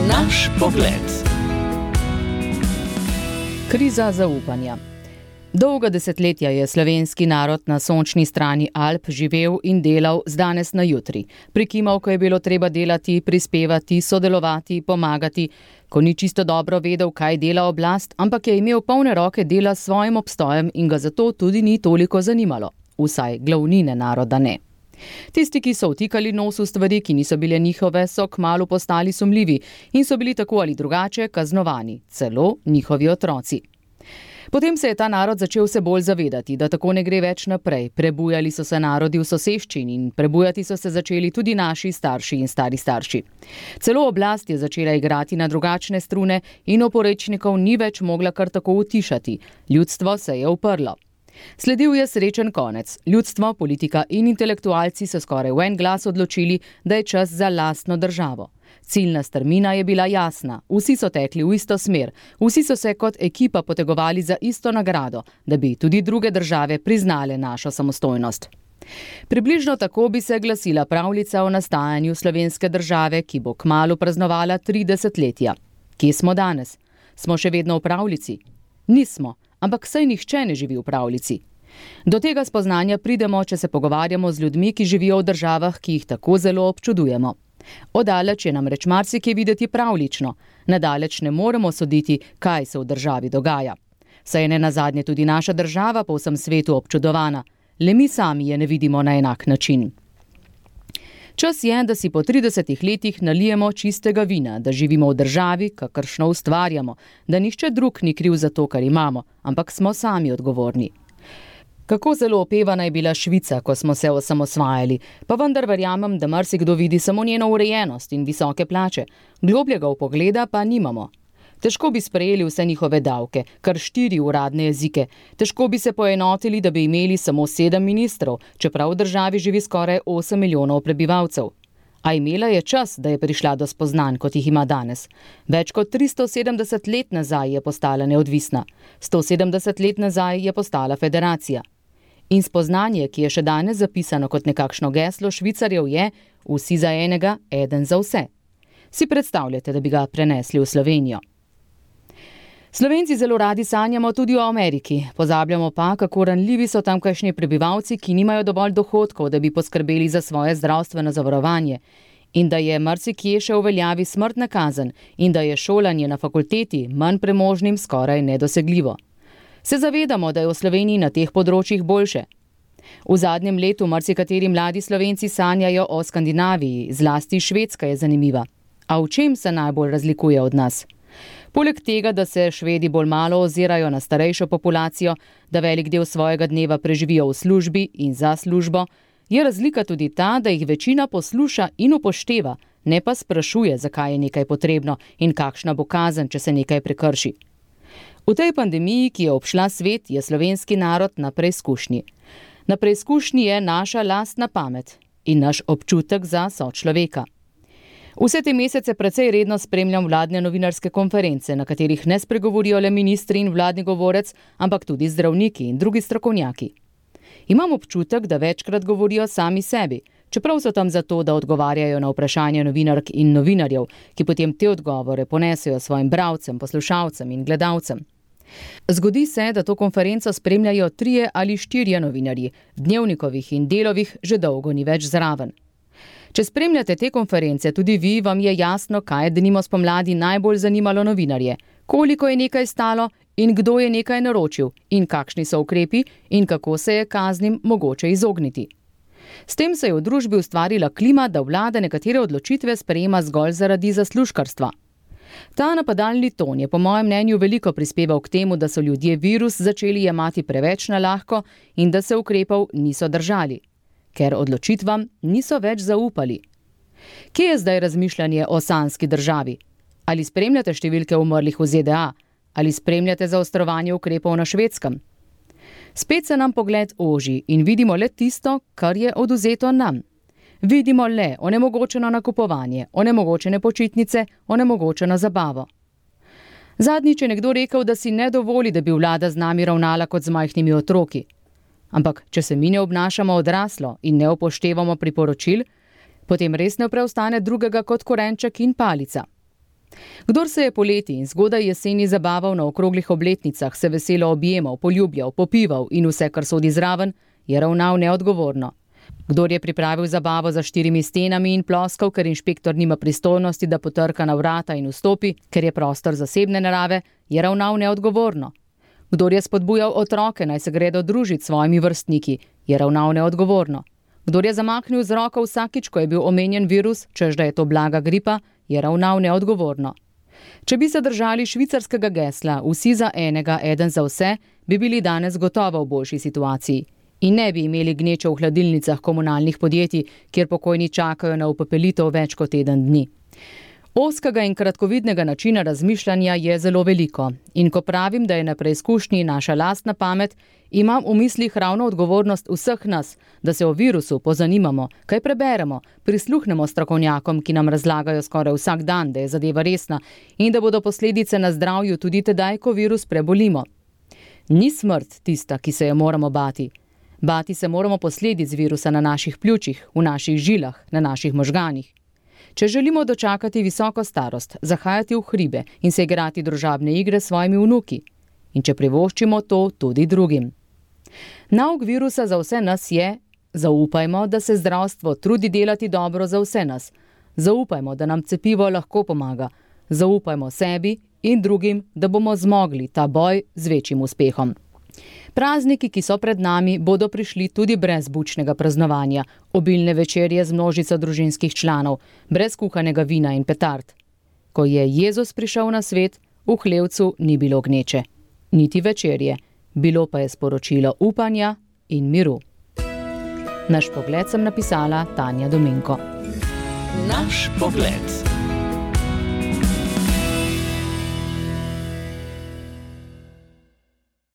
Naš pogled. Kriza zaupanja. Dolga desetletja je slovenski narod na sončni strani Alp živel in delal z danes na jutri. Prikimal, ko je bilo treba delati, prispevati, sodelovati, pomagati, ko ni čisto dobro vedel, kaj dela oblast, ampak je imel polne roke dela s svojim obstojem in ga zato tudi ni toliko zanimalo. Vsaj glavnine naroda ne. Tisti, ki so vtikali nos v stvari, ki niso bile njihove, so kmalu postali sumljivi in so bili tako ali drugače kaznovani, celo njihovi otroci. Potem se je ta narod začel vse bolj zavedati, da tako ne gre več naprej. Prebujali so se narodi v soseščini in prebujati so se začeli tudi naši starši in stari starši. Celo oblast je začela igrati na drugačne strune in oporečnikov ni več mogla kar tako utišati. Ljudstvo se je uprlo. Sledil je srečen konec. Ljudstvo, politika in intelektualci so skoraj v en glas odločili, da je čas za lastno državo. Ciljna strmina je bila jasna, vsi so tekli v isto smer, vsi so se kot ekipa potegovali za isto nagrado, da bi tudi druge države priznale našo samostojnost. Približno tako bi se glasila pravljica o nastajanju slovenske države, ki bo kmalu praznovala 30-letja. Kje smo danes? Smo še vedno v pravljici? Nismo, ampak saj nihče ne živi v pravljici. Do tega spoznanja pridemo, če se pogovarjamo z ljudmi, ki živijo v državah, ki jih tako zelo občudujemo. Odaleč je namreč marsikje videti pravljično, nadaleč ne moremo soditi, kaj se v državi dogaja. Saj je nenazadnje tudi naša država po vsem svetu občudovana, le mi sami je ne vidimo na enak način. Čas je, da si po 30 letih nalijemo čistega vina, da živimo v državi, kakršno ustvarjamo, da nihče drug ni kriv za to, kar imamo, ampak smo sami odgovorni. Kako zelo opevana je bila Švica, ko smo se osamosvajali, pa vendar verjamem, da marsikdo vidi samo njeno urejenost in visoke plače, globljega vpogleda pa nimamo. Težko bi sprejeli vse njihove davke, kar 4 uradne jezike, težko bi se poenotili, da bi imeli samo 7 ministrov, čeprav v državi živi skoraj 8 milijonov prebivalcev. A imela je čas, da je prišla do spoznanj, kot jih ima danes. Več kot 370 let nazaj je postala neodvisna, 170 let nazaj je postala federacija. In spoznanje, ki je še danes zapisano kot nekakšno geslo Švicarjev, je vsi za enega, eden za vse. Si predstavljate, da bi ga prenesli v Slovenijo? Slovenci zelo radi sanjamo tudi o Ameriki, pozabljamo pa, kako ranljivi so tamkajšnji prebivalci, ki nimajo dovolj dohodkov, da bi poskrbeli za svoje zdravstveno zavarovanje, in da je marsikje še v veljavi smrtna kazen in da je šolanje na fakulteti manj premožnim skoraj nedosegljivo. Se zavedamo, da je v Sloveniji na teh področjih boljše. V zadnjem letu marsikateri mladi Slovenci sanjajo o Skandinaviji, zlasti Švedska je zanimiva. A v čem se najbolj razlikuje od nas? Poleg tega, da se Švedi bolj malo ozirajo na starejšo populacijo, da velik del svojega dneva preživijo v službi in za službo, je razlika tudi ta, da jih večina posluša in upošteva, ne pa sprašuje, zakaj je nekaj potrebno in kakšna bo kazen, če se nekaj prekrši. V tej pandemiji, ki je obšla svet, je slovenski narod na preizkušnji. Na preizkušnji je naša lastna pamet in naš občutek za sočloveka. Vse te mesece precej redno spremljam vladne novinarske konference, na katerih ne spregovorijo le ministri in vladni govorec, ampak tudi zdravniki in drugi strokovnjaki. Imam občutek, da večkrat govorijo sami sebi, čeprav so tam zato, da odgovarjajo na vprašanja novinark in novinarjev, ki potem te odgovore ponesejo svojim bralcem, poslušalcem in gledalcem. Zgodi se, da to konferenco spremljajo 3 ali 4 novinarji, v Dnevnikovih in Delovih že dolgo ni več zraven. Če spremljate te konference, tudi vi, vam je jasno, kaj je denimo spomladi najbolj zanimalo novinarje, koliko je nekaj stalo in kdo je nekaj naročil in kakšni so ukrepi in kako se je kaznim mogoče izogniti. S tem se je v družbi ustvarila klima, da vlada nekatere odločitve sprejema zgolj zaradi zaslužkarstva. Ta napadalni ton je po mojem mnenju veliko prispeval k temu, da so ljudje virus začeli jemati preveč na lahko in da se ukrepov niso držali, ker odločitvam niso več zaupali. Kje je zdaj razmišljanje o sanjski državi? Ali spremljate številke umrlih v ZDA? Ali spremljate zaostrovanje ukrepov na Švedskem? Spet se nam pogled oži in vidimo le tisto, kar je odvzeto nam. Vidimo le onemogočeno nakupovanje, onemogočene počitnice, onemogočeno zabavo. Zadnjič je nekdo rekel, da si ne dovoli, da bi vlada z nami ravnala kot z majhnimi otroki. Ampak, če se mi ne obnašamo odraslo in ne upoštevamo priporočil, potem res ne preostane drugega kot korenček in palica. Kdor se je poleti in zgodaj jeseni zabaval na okroglih obletnicah, se veselo objemal, poljubljal, popival in vse, kar sodi zraven, je ravnal neodgovorno. Kdor je pripravil zabavo za 4 stenami in ploskal, ker inšpektor nima pristojnosti, da potrka na vrata in vstopi, ker je prostor zasebne narave, je ravnal neodgovorno. Kdor je spodbujal otroke, naj se gredo družiti s svojimi vrstniki, je ravnal neodgovorno. Kdor je zamaknil z roko vsakič, ko je bil omenjen virus, češ da je to blaga gripa, je ravnal neodgovorno. Če bi se držali švicarskega gesla vsi za enega, eden za vse, bi bili danes gotovo v boljši situaciji. In ne bi imeli gneče v hladilnicah komunalnih podjetij, kjer pokojni čakajo na upepelitev več kot teden dni. Ozkega in kratkovidnega načina razmišljanja je zelo veliko. In ko pravim, da je na preizkušnji naša lastna pamet, imam v mislih ravno odgovornost vseh nas, da se o virusu pozanimamo, kaj preberemo, prisluhnemo strokovnjakom, ki nam razlagajo skoraj vsak dan, da je zadeva resna in da bodo posledice na zdravju tudi tedaj, ko virus prebolimo. Ni smrt tista, ki se je moramo bati. Bati se moramo posledic virusa na naših pljučih, v naših žilah, na naših možganih. Če želimo dočakati visoko starost, zahajati v hribe in se igrati družabne igre s svojimi vnuki. In če privoščimo to tudi drugim. Nauk virusa za vse nas je: zaupajmo, da se zdravstvo trudi delati dobro za vse nas. Zaupajmo, da nam cepivo lahko pomaga. Zaupajmo sebi in drugim, da bomo zmogli ta boj z večjim uspehom. Prazniki, ki so pred nami, bodo prišli tudi brez bučnega praznovanja, obilne večerje z množico družinskih članov, brez kuhanega vina in petard. Ko je Jezus prišel na svet, v hlevcu ni bilo gneče, niti večerje, bilo pa je sporočilo upanja in miru. Naš pogled sem napisala Tanja Dominko. Naš pogled.